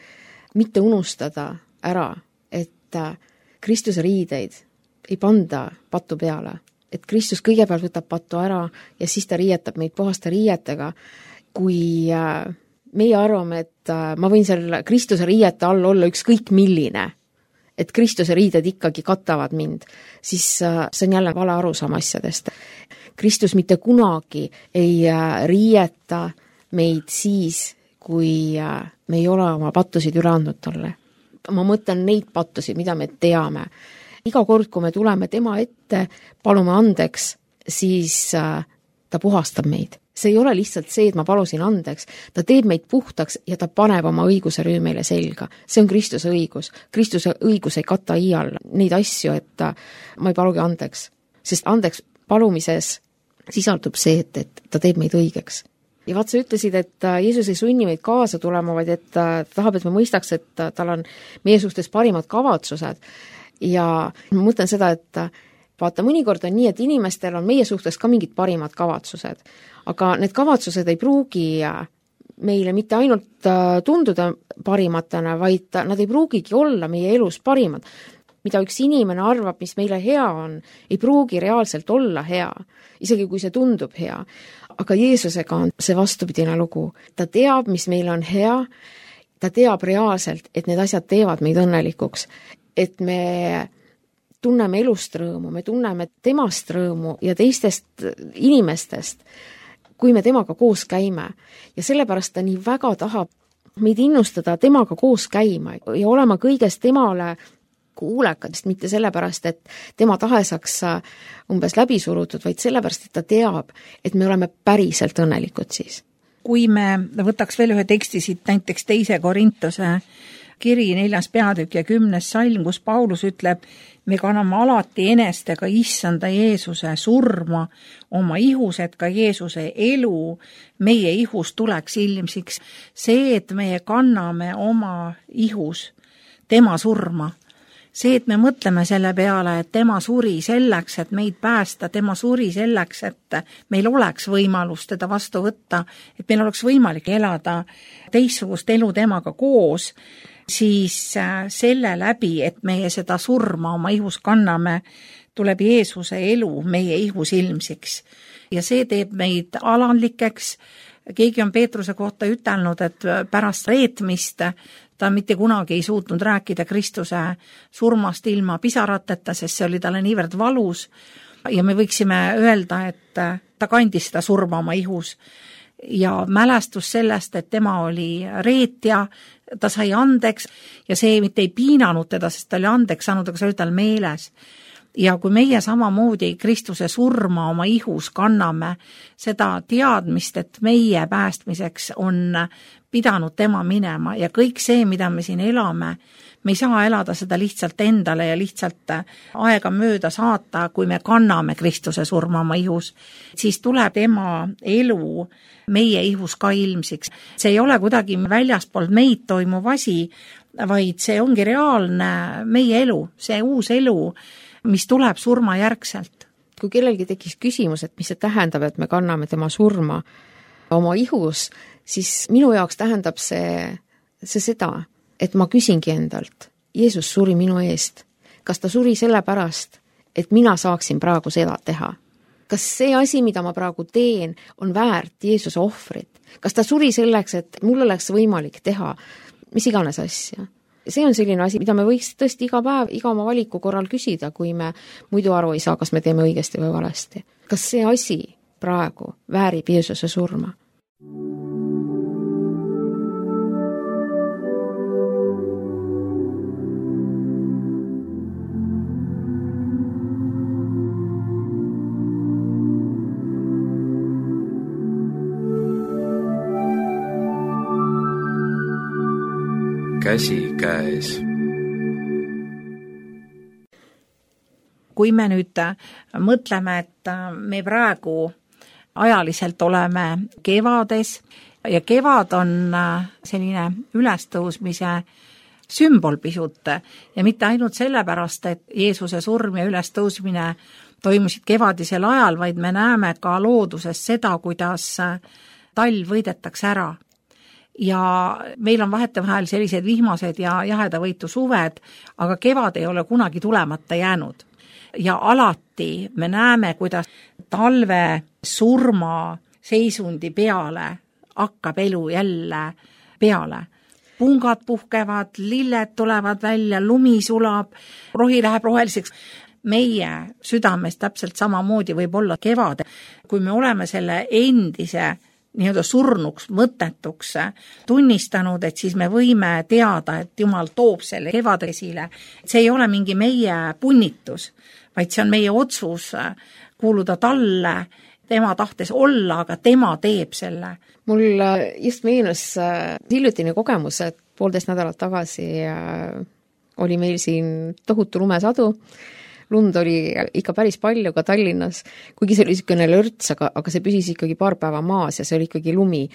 mitte unustada ära, et Kristuse riideid ei panda patu peale. Et Kristus kõigepealt võtab patu ära ja siis ta riietab meid puhaste riietega. Kui meie arvame, et ma võin seal Kristuse riiete all olla ükskõik milline, et Kristuse riided ikkagi katavad mind, siis see on jälle vale arusaam asjadest. Kristus mitte kunagi ei riieta meid siis, kui me ei ole oma pattusid üle andnud talle. Ma mõtlen neid pattusid, mida me teame. Iga kord, kui me tuleme tema ette, palume andeks, siis ta puhastab meid. See ei ole lihtsalt see, et ma palusin andeks. Ta teeb meid puhtaks ja ta paneb oma õiguse rüü meile selga. See on Kristuse õigus. Kristuse õigus ei kata iial neid asju, et ma ei palugi andeks. Sest andeks palumises sisaldub see, et ta teeb meid õigeks. Ja vaat sa ütlesid, et Jeesus ei sunni meid kaasa tulema, vaid et ta tahab, et me mõistaks, et tal on meie suhtes parimad kavatsused. Ja ma mõtlen seda, et vaata, mõnikord on nii, et inimestel on meie suhtes ka mingid parimad kavatsused, aga need kavatsused ei pruugi meile mitte ainult tunduda parimatena, vaid nad ei pruugigi olla meie elus parimad. Mida üks inimene arvab, mis meile hea on, ei pruugi reaalselt olla hea, isegi kui see tundub hea. Aga Jeesusega on see vastupidine lugu. Ta teab, mis meil on hea, ta teab reaalselt, et need asjad teevad meid õnnelikuks, et me tunneme elust rõõmu, me tunneme temast rõõmu ja teistest inimestest, kui me temaga koos käime. Ja sellepärast ta nii väga tahab meid innustada temaga koos käima ja olema kõigest temale kuulekadest, mitte sellepärast, et tema tahe saaks umbes läbi surutud, vaid sellepärast, et ta teab, et me oleme päriselt õnnelikud siis. Kui me võtaks veel ühe teksti siit, näiteks 2. Korintuse kiri 4. peatükk ja 10. salm, kus Paulus ütleb, me kanname alati enestega issanda Jeesuse surma oma ihus, et ka Jeesuse elu meie ihus tuleks ilmsiks. See, et meie kanname oma ihus tema surma, see, et me mõtleme selle peale, et tema suri selleks, et meid päästa, tema suri selleks, et meil oleks võimalus teda vastu võtta, et meil oleks võimalik elada teistsugust elu temaga koos, siis selle läbi, et meie seda surma oma ihus kanname, tuleb Jeesuse elu meie ihus ilmsiks. Ja see teeb meid alandlikeks. Keegi on Peetruse kohta ütelnud, et pärast reetmist ta mitte kunagi ei suutnud rääkida Kristuse surmast ilma pisarateta, sest see oli talle niivõrd valus. Ja me võiksime öelda, et ta kandis seda surma oma ihus. Ja mälestus sellest, et tema oli reetja, ta sai andeks ja see mitte ei piinanud teda, sest ta oli andeks saanud, aga see oli tal meeles. Ja kui meie samamoodi Kristuse surma oma ihus kanname seda teadmist, et meie päästmiseks on pidanud tema minema ja kõik see, mida me siin elame, me ei saa elada seda lihtsalt endale ja lihtsalt aega mööda saata, kui me kanname Kristuse surma oma ihus, siis tuleb tema elu meie ihus ka ilmsiks. See ei ole kuidagi väljaspool meid toimuv asi, vaid see ongi reaalne meie elu, see uus elu, mis tuleb surma järgselt. Kui kellelgi tekkis küsimus, et mis see tähendab, et me kanname tema surma oma ihus, siis minu jaoks tähendab see seda, et ma küsingi endalt, Jeesus suri minu eest. Kas ta suri sellepärast, et mina saaksin praegu seda teha? Kas see asi, mida ma praegu teen, on väärt Jeesuse ohvrit? Kas ta suri selleks, et mul oleks võimalik teha mis iganes asja? See on selline asi, mida me võiks tõesti iga päev, iga oma valiku korral küsida, kui me muidu aru ei saa, kas me teeme õigesti või valesti. Kas see asi praegu väärib Jeesuse surma? Käsi käes. Kui me nüüd mõtleme, et me praegu ajaliselt oleme kevades ja kevad on selline ülestõusmise sümbol pisut ja mitte ainult sellepärast, et Jeesuse surm ja ülestõusmine toimusid kevadisel ajal, vaid me näeme ka looduses seda, kuidas talv võidetakse ära. Ja meil on vahetevahel sellised vihmased ja jahedavõitu suved, aga kevad ei ole kunagi tulemata jäänud. Ja alati me näeme, kuidas talve surma seisundi peale hakkab elu jälle peale. Pungad puhkevad, lilled tulevad välja, lumi sulab, rohi läheb roheliseks. Meie südames täpselt samamoodi võib olla kevad, kui me oleme selle endise nii-öelda surnuks, mõttetuks tunnistanud, et siis me võime teada, et Jumal toob selle kevade esile. See ei ole mingi meie punnitus, vaid see on meie otsus kuuluda talle, tema tahtes olla, aga tema teeb selle. Mul just meenus hiljutine kogemus, et 1,5 nädalat tagasi oli meil siin tohutu lumesadu. Lund oli ikka päris palju ka Tallinnas, kuigi see oli niisugune lörts, aga see püsis ikkagi paar päeva maas ja see oli ikkagi lumi.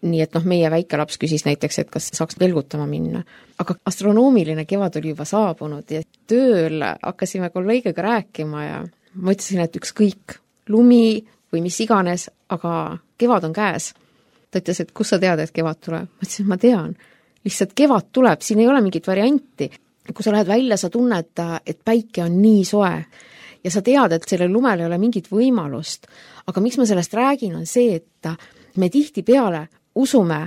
Nii et meie väike laps küsis näiteks, et kas saaks velgutama minna. Aga astronoomiline kevad oli juba saabunud ja tööl hakkasime kolleegiga rääkima ja ma ütlesin, et ükskõik lumi või mis iganes, aga kevad on käes. Ta ütles, et kus sa tead, et kevad tuleb? Ma ütlesin, ma tean. Lihtsalt kevad tuleb, siin ei ole mingit varianti. Kui sa lähed välja, sa tunned, et päike on nii soe ja sa tead, et sellel lumel ei ole mingit võimalust. Aga miks ma sellest räägin, on see, et me tihtipeale usume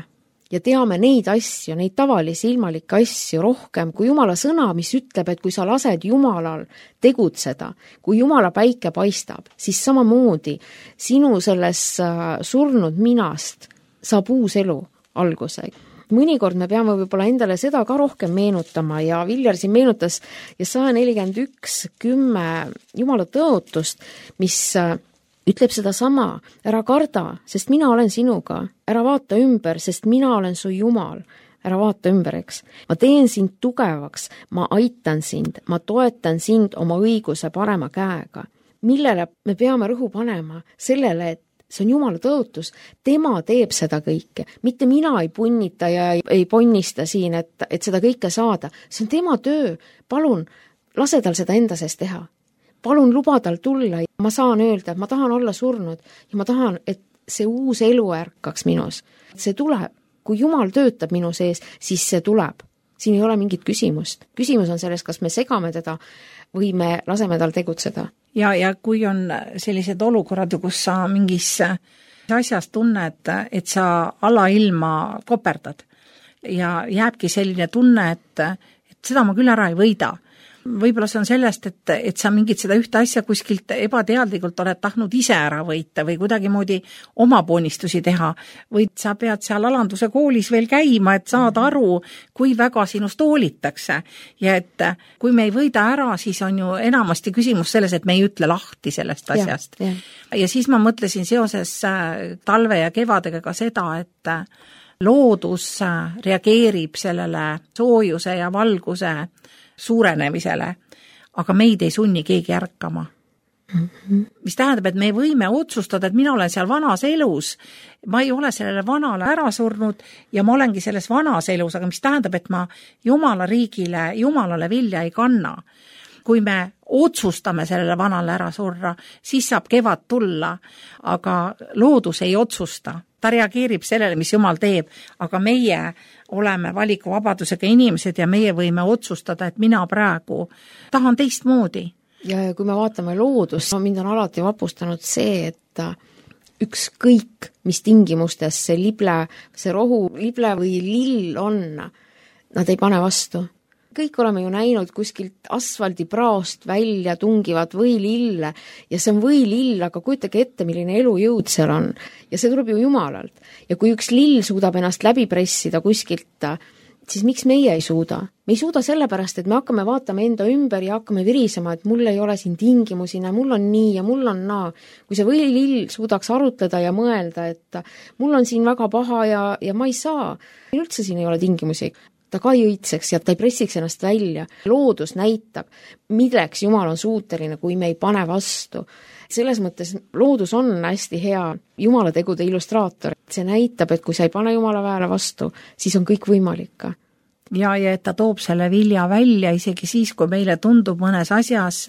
ja teame neid asju, neid tavalisi ilmalikke asju rohkem kui Jumala sõna, mis ütleb, et kui sa lased Jumalal tegutseda, kui Jumala päike paistab, siis samamoodi sinu selles surnud minast saab uus elu alguse. Mõnikord me peame võib-olla endale seda ka rohkem meenutama ja Viljar siin meenutas Jesaja 41:10 Jumala tõotust, mis ütleb seda sama, ära karda, sest mina olen sinuga, ära vaata ümber, sest mina olen su Jumal, ära vaata ümber, eks. Ma teen sind tugevaks, ma aitan sind, ma toetan sind oma õiguse parema käega. Millele me peame rõhu panema? Sellele, et see on Jumala tõotus, tema teeb seda kõike, mitte mina ei punnita ja ei ponnista siin, et seda kõike saada. See on tema töö, palun, lase tal seda enda sees teha. Palun luba tal tulla, ma saan öelda, et ma tahan olla surnud ja ma tahan, et see uus elu ärkaks minus. See tuleb, kui Jumal töötab minu sees, siis see tuleb. Siin ei ole mingit küsimust. Küsimus on selles, kas me segame teda või me laseme tal tegutseda. Ja kui on sellised olukorrad, kus sa mingis asjas tunned, et sa alailma koperdad ja jääbki selline tunne, et seda ma küll ära ei võida. Võib-olla see on sellest, et sa mingit seda ühte asja kuskilt ebateadlikult oled tahtnud ise ära võita või kuidagi moodi oma poonistusi teha või sa pead seal alanduse koolis veel käima, et saada aru, kui väga sinust hoolitakse. Ja et kui me ei võida ära, siis on ju enamasti küsimus selles, et me ei ütle lahti sellest asjast. Ja siis ma mõtlesin seoses talve ja kevadega ka seda, et loodus reageerib sellele soojuse ja valguse suurenemisele, aga meid ei sunni keegi ärkama. Mis tähendab, et me võime otsustada, et mina olen seal vanas elus, ma ei ole sellele vanale ära surnud ja ma olengi selles vanas elus, aga mis tähendab, et ma Jumala riigile, Jumalale vilja ei kanna. Kui me otsustame sellele vanale ära surra, siis saab kevad tulla, aga loodus ei otsusta. Ta reageerib sellele, mis Jumal teeb, aga meie oleme valikuvabadusega inimesed ja meie võime otsustada, et mina praegu tahan teistmoodi. Ja kui me vaatame loodust, mind on alati vapustanud see, et ükskõik, mis tingimustes see lible, see rohu, lible või lill on, nad ei pane vastu. Kõik oleme ju näinud kuskilt asfaldipraost välja tungivad võilille ja see on võilill, aga kujutage ette, milline elujõud seal on. Ja see tuleb ju Jumalalt. Ja kui üks lill suudab ennast läbi pressida kuskilt, siis miks meie ei suuda? Me ei suuda sellepärast, et me hakkame vaatama enda ümber ja hakkame virisema, et mul ei ole siin tingimusi, mul on nii ja mul on naa. Kui see võilill suudaks arutleda ja mõelda, et mul on siin väga paha ja ma ei saa, üldse siin ei ole tingimusi. Ta ka ei õitseks ja ta ei pressiks ennast välja. Loodus näitab, milleks Jumal on suuteline, kui me ei pane vastu. Selles mõttes loodus on hästi hea Jumala tegude illustraator. See näitab, et kui sa ei pane Jumala väele vastu, siis on kõik võimalik ka. Ja et ta toob selle vilja välja isegi siis, kui meile tundub mõnes asjas,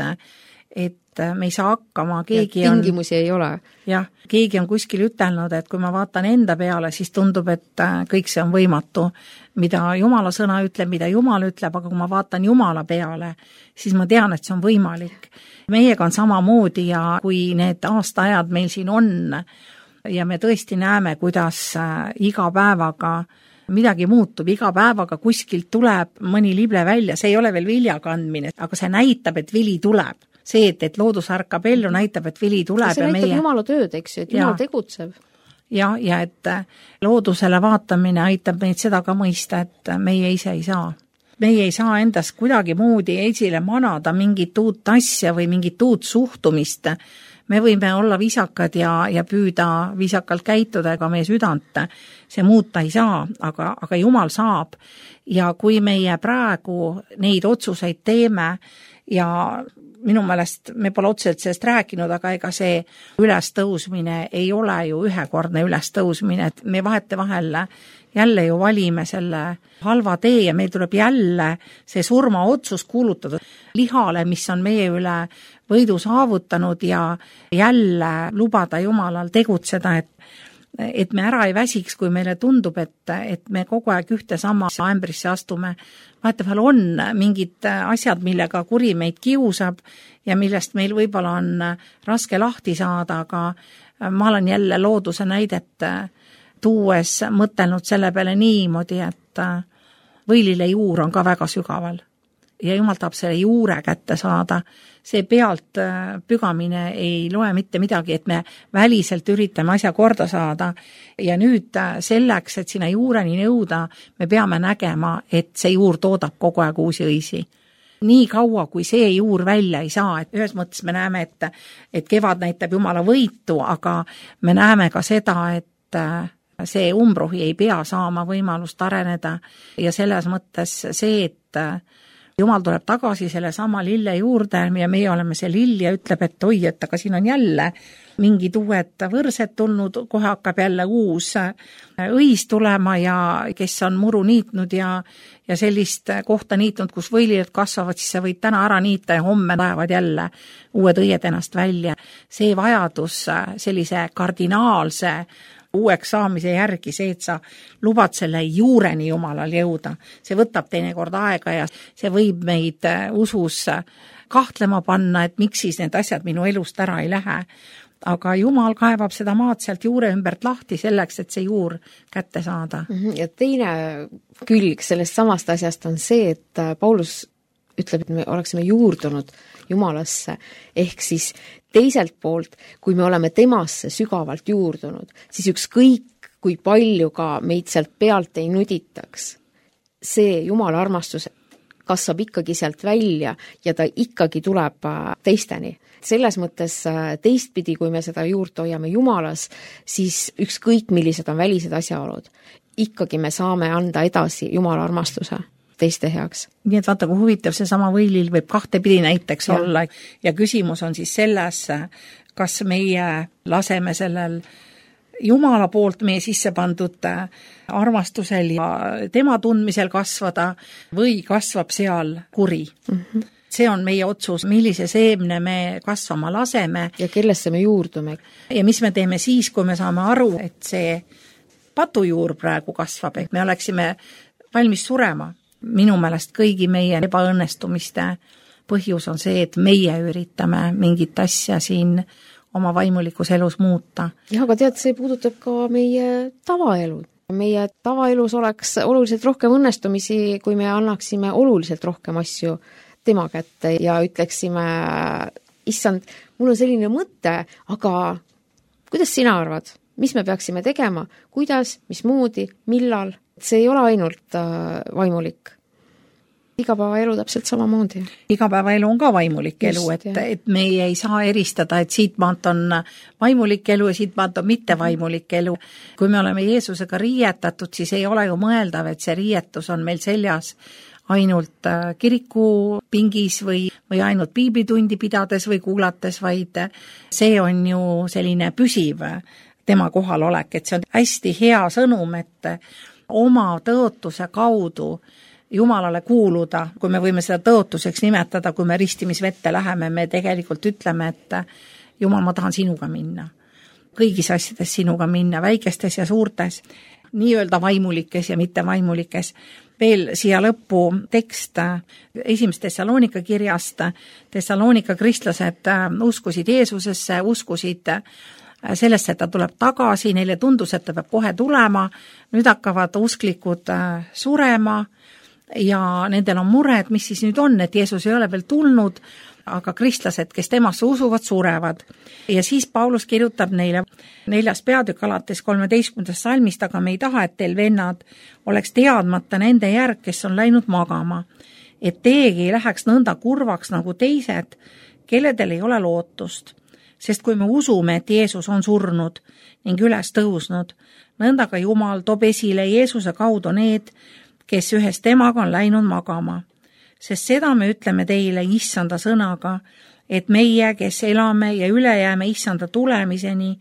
et me ei saa hakkama, tingimusi ei ole. Jah, keegi on kuskil ütelnud, et kui ma vaatan enda peale, siis tundub, et kõik see on võimatu, mida Jumala sõna ütleb, mida Jumal ütleb, aga kui ma vaatan Jumala peale, siis ma tean, et see on võimalik. Meiega on samamoodi ja kui need aastaajad meil siin on ja me tõesti näeme, kuidas iga päevaga midagi muutub, iga päevaga kuskilt tuleb mõni lible välja, see ei ole veel vilja kandmine, aga see näitab, et vili tuleb. See, et loodus ärkab ellu, näitab, et vili tuleb. See näitab Jumala tööd, eks ju, et Jumal tegutseb. Ja et loodusele vaatamine aitab meid seda ka mõista, et meie ise ei saa. Meie ei saa endast kuidagi moodi esile manada mingit uut asja või mingit uut suhtumist. Me võime olla viisakad ja püüda viisakalt käituda, ega meie südant see muuta ei saa, aga Jumal saab. Ja kui meie praegu neid otsuseid teeme ja minu meelest me pole otseselt sellest rääkinud, aga ega see ülestõusmine ei ole ju ühekordne ülestõusmine, et me vahetevahel jälle ju valime selle halva tee ja meil tuleb jälle see surmaotsus kuulutada lihale, mis on meie üle võidu saavutanud ja jälle lubada Jumalal tegutseda, et me ära ei väsiks, kui meile tundub, et me kogu aeg ühte sama ämbrisse astume. Vahetevahel on mingid asjad, millega kuri meid kiusab ja millest meil võib-olla on raske lahti saada, aga ma olen jälle looduse näidet tuues mõtelnud selle peale niimoodi, et võilile juur on ka väga sügaval ja Jumal tahab selle juure kätte saada. See pealt pügamine ei loe mitte midagi, et me väliselt üritame asja korda saada ja nüüd selleks, et sinna juureni jõuda, me peame nägema, et see juur toodab kogu aeg uusi õisi. Nii kaua, kui see juur välja ei saa, et ühes mõttes me näeme, et kevad näitab Jumala võitu, aga me näeme ka seda, et see umbrohi ei pea saama võimalust areneda ja selles mõttes see, et Jumal tuleb tagasi selle sama lille juurde ja meie oleme see lill ja ütleb, et oi, et aga siin on jälle mingid uued võrsed tulnud, kohe hakkab jälle uus õis tulema ja kes on muru niitnud ja sellist kohta niitnud, kus võililed kasvavad, siis sa võid täna ära niita ja homme lähevad jälle uued õied ennast välja. See vajadus sellise kardinaalse uueks saamise järgi, see, et sa lubad selle juureni Jumalal jõuda. See võtab teinekord aega ja see võib meid usus kahtlema panna, et miks siis need asjad minu elust ära ei lähe. Aga Jumal kaevab seda maad sealt juure ümbert lahti selleks, et see juur kätte saada. Ja teine külg sellest samast asjast on see, et Paulus ütleb, et me oleksime juurdunud Jumalasse, ehk siis teiselt poolt, kui me oleme temasse sügavalt juurdunud, siis ükskõik, kui palju ka meid sealt pealt ei nuditaks, see Jumala armastus kasvab ikkagi sealt välja ja ta ikkagi tuleb teisteni. Selles mõttes teistpidi, kui me seda juurt hoiame Jumalas, siis ükskõik millised on välised asjaolud, ikkagi me saame anda edasi Jumala armastuse teiste heaks. Nii et vaata, kui huvitav see sama võilil võib kahtepidi näiteks olla ja küsimus on siis selles, kas meie laseme sellel Jumala poolt meie sisse pandud armastusel ja tema tundmisel kasvada või kasvab seal kuri. See on meie otsus, millise seemne me kasvama laseme. Ja kellesse me juurdume. Ja mis me teeme siis, kui me saame aru, et see patujuur praegu kasvab, et me oleksime valmis surema. Minu meelest kõigi meie ebaõnnestumiste põhjus on see, et meie üritame mingit asja siin oma vaimulikus elus muuta. Ja, aga tead, see puudutab ka meie tavaelu. Meie tavaelus oleks oluliselt rohkem õnnestumisi, kui me annaksime oluliselt rohkem asju tema kätte ja ütleksime, issand, mul on selline mõte, aga kuidas sina arvad? Mis me peaksime tegema? Kuidas? Mismoodi? Millal? See ei ole ainult vaimulik. Igapäevaelu täpselt samamoodi. Igapäevaelu on ka vaimulik elu, et me ei saa eristada, et siit maalt on vaimulik elu ja siit maalt on mitte vaimulik elu. Kui me oleme Jeesusega riietatud, siis ei ole ju mõeldav, et see riietus on meil seljas ainult kirikupingis või ainult piiblitundi pidades või kuulates, vaid see on ju selline püsiv tema kohalolek, et see on hästi hea sõnum, et oma tõotuse kaudu Jumalale kuuluda, kui me võime seda tõotuseks nimetada, kui me ristimisvette läheme, me tegelikult ütleme, et Jumal, ma tahan sinuga minna. Kõigis asjades sinuga minna, väikestes ja suurtes, nii-öelda vaimulikes ja mitte vaimulikes. Veel siia lõppu tekst 1. Tessaloonika kirjast. Tessaloonika kristlased uskusid Jeesusesse, uskusid sellesse, et ta tuleb tagasi, neile tundus, et ta peab kohe tulema, nüüd hakkavad usklikud surema ja nendel on mure, et mis siis nüüd on, et Jeesus ei ole veel tulnud, aga kristlased, kes temasse usuvad, surevad. Ja siis Paulus kirjutab neile 4. peatükk alates 13. salmist, aga me ei taha, et teil vennad oleks teadmata nende järg, kes on läinud magama, et teiegi ei läheks nõnda kurvaks nagu teised, kelledel ei ole lootust. Sest kui me usume, et Jeesus on surnud ning üles tõusnud, nõnda ka Jumal toob esile Jeesuse kaudu need, kes ühes temaga on läinud magama. Sest seda me ütleme teile issanda sõnaga, et meie, kes elame ja üle jääme issanda tulemiseni,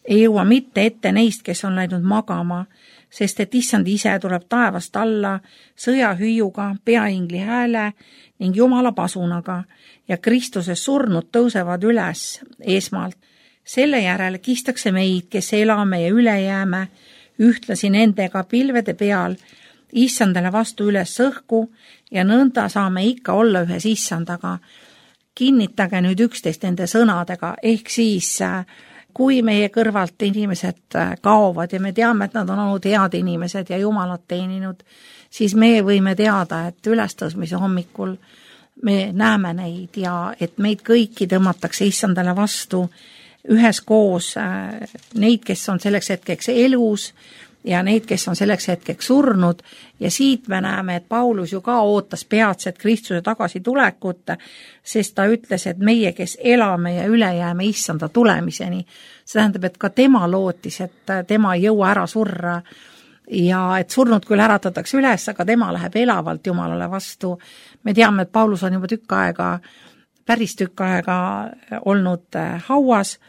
ei jõua mitte ette neist, kes on läinud magama, sest et issand ise tuleb taevast alla sõjahüüuga, peaingli hääle ning Jumala pasunaga ja Kristuses surnud tõusevad üles esmalt. Selle järel kistakse meid, kes elame ja üle jääme, ühtlasi nendega pilvede peal, issandale vastu üles õhku ja nõnda saame ikka olla ühes issandaga. Kinnitage nüüd üksteist nende sõnadega, ehk siis kui meie kõrvalt inimesed kaovad ja me teame, et nad on olnud head inimesed ja Jumalat teeninud, siis me võime teada, et ülestõusmise hommikul me näeme neid ja et meid kõiki tõmmatakse issandale vastu üheskoos, neid, kes on selleks hetkeks elus ja neid, kes on selleks hetkeks surnud ja siit me näeme, et Paulus ju ka ootas peatset Kristuse tagasitulekut, sest ta ütles, et meie, kes elame ja üle jääme issanda tulemiseni, see tähendab, et ka tema lootis, et tema ei jõua ära surra ja et surnud küll äratatakse üles, aga tema läheb elavalt Jumalale vastu. Me teame, et Paulus on juba päris tükk aega olnud hauas,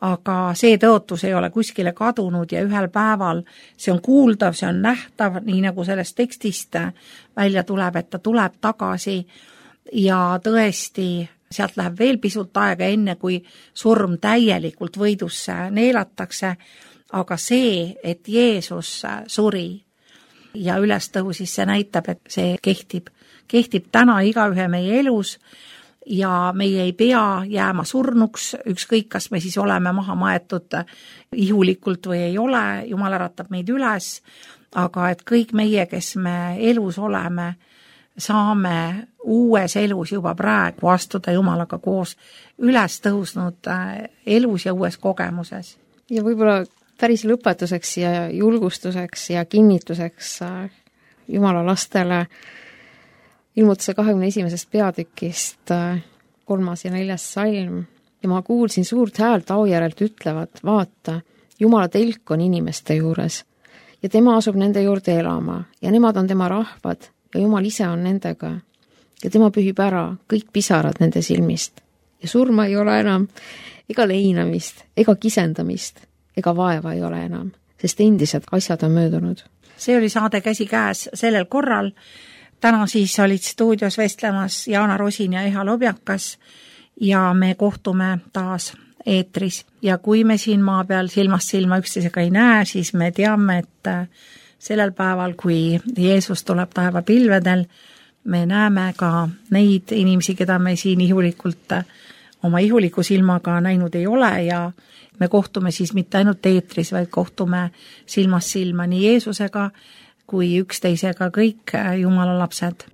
aga see tõotus ei ole kuskile kadunud ja ühel päeval see on kuuldav, see on nähtav, nii nagu sellest tekstist välja tuleb, et ta tuleb tagasi ja tõesti sealt läheb veel pisut aega enne, kui surm täielikult võidusse neelatakse, aga see, et Jeesus suri ja üles tõusis, see näitab, et see kehtib täna igaühe meie elus ja meie ei pea jääma surnuks, ükskõik, kas me siis oleme maha maetud ihulikult või ei ole, Jumal äratab meid üles, aga et kõik meie, kes me elus oleme, saame uues elus juba praegu astuda Jumalaga koos üles tõusnud elus ja uues kogemuses. Ja võib-olla päris lõpetuseks ja julgustuseks ja kinnituseks Jumala lastele ilmutuse 21. peatükist 3. ja 4. salm ja ma kuulsin suurt häält aujärelt ütlevat, vaata, Jumala telk on inimeste juures ja tema asub nende juurde elama ja nemad on tema rahvad ja Jumal ise on nendega ja tema pühib ära kõik pisarad nende silmist ja surma ei ole enam ega leinamist ega kisendamist ega vaeva ei ole enam, sest endised asjad on möödunud. See oli saade Käsikäes sellel korral. Täna siis olid stuudios vestlemas Jaana Rosin ja Eha Lobjakas ja me kohtume taas eetris. Ja kui me siin maa peal silmast silma üksteisega ei näe, siis me teame, et sellel päeval, kui Jeesus tuleb taevapilvedel, me näeme ka neid inimesi, keda me siin ihulikult oma ihuliku silmaga näinud ei ole ja me kohtume siis mitte ainult eetris, vaid kohtume silmast silma nii Jeesusega kui üksteisega kõik Jumala lapsed.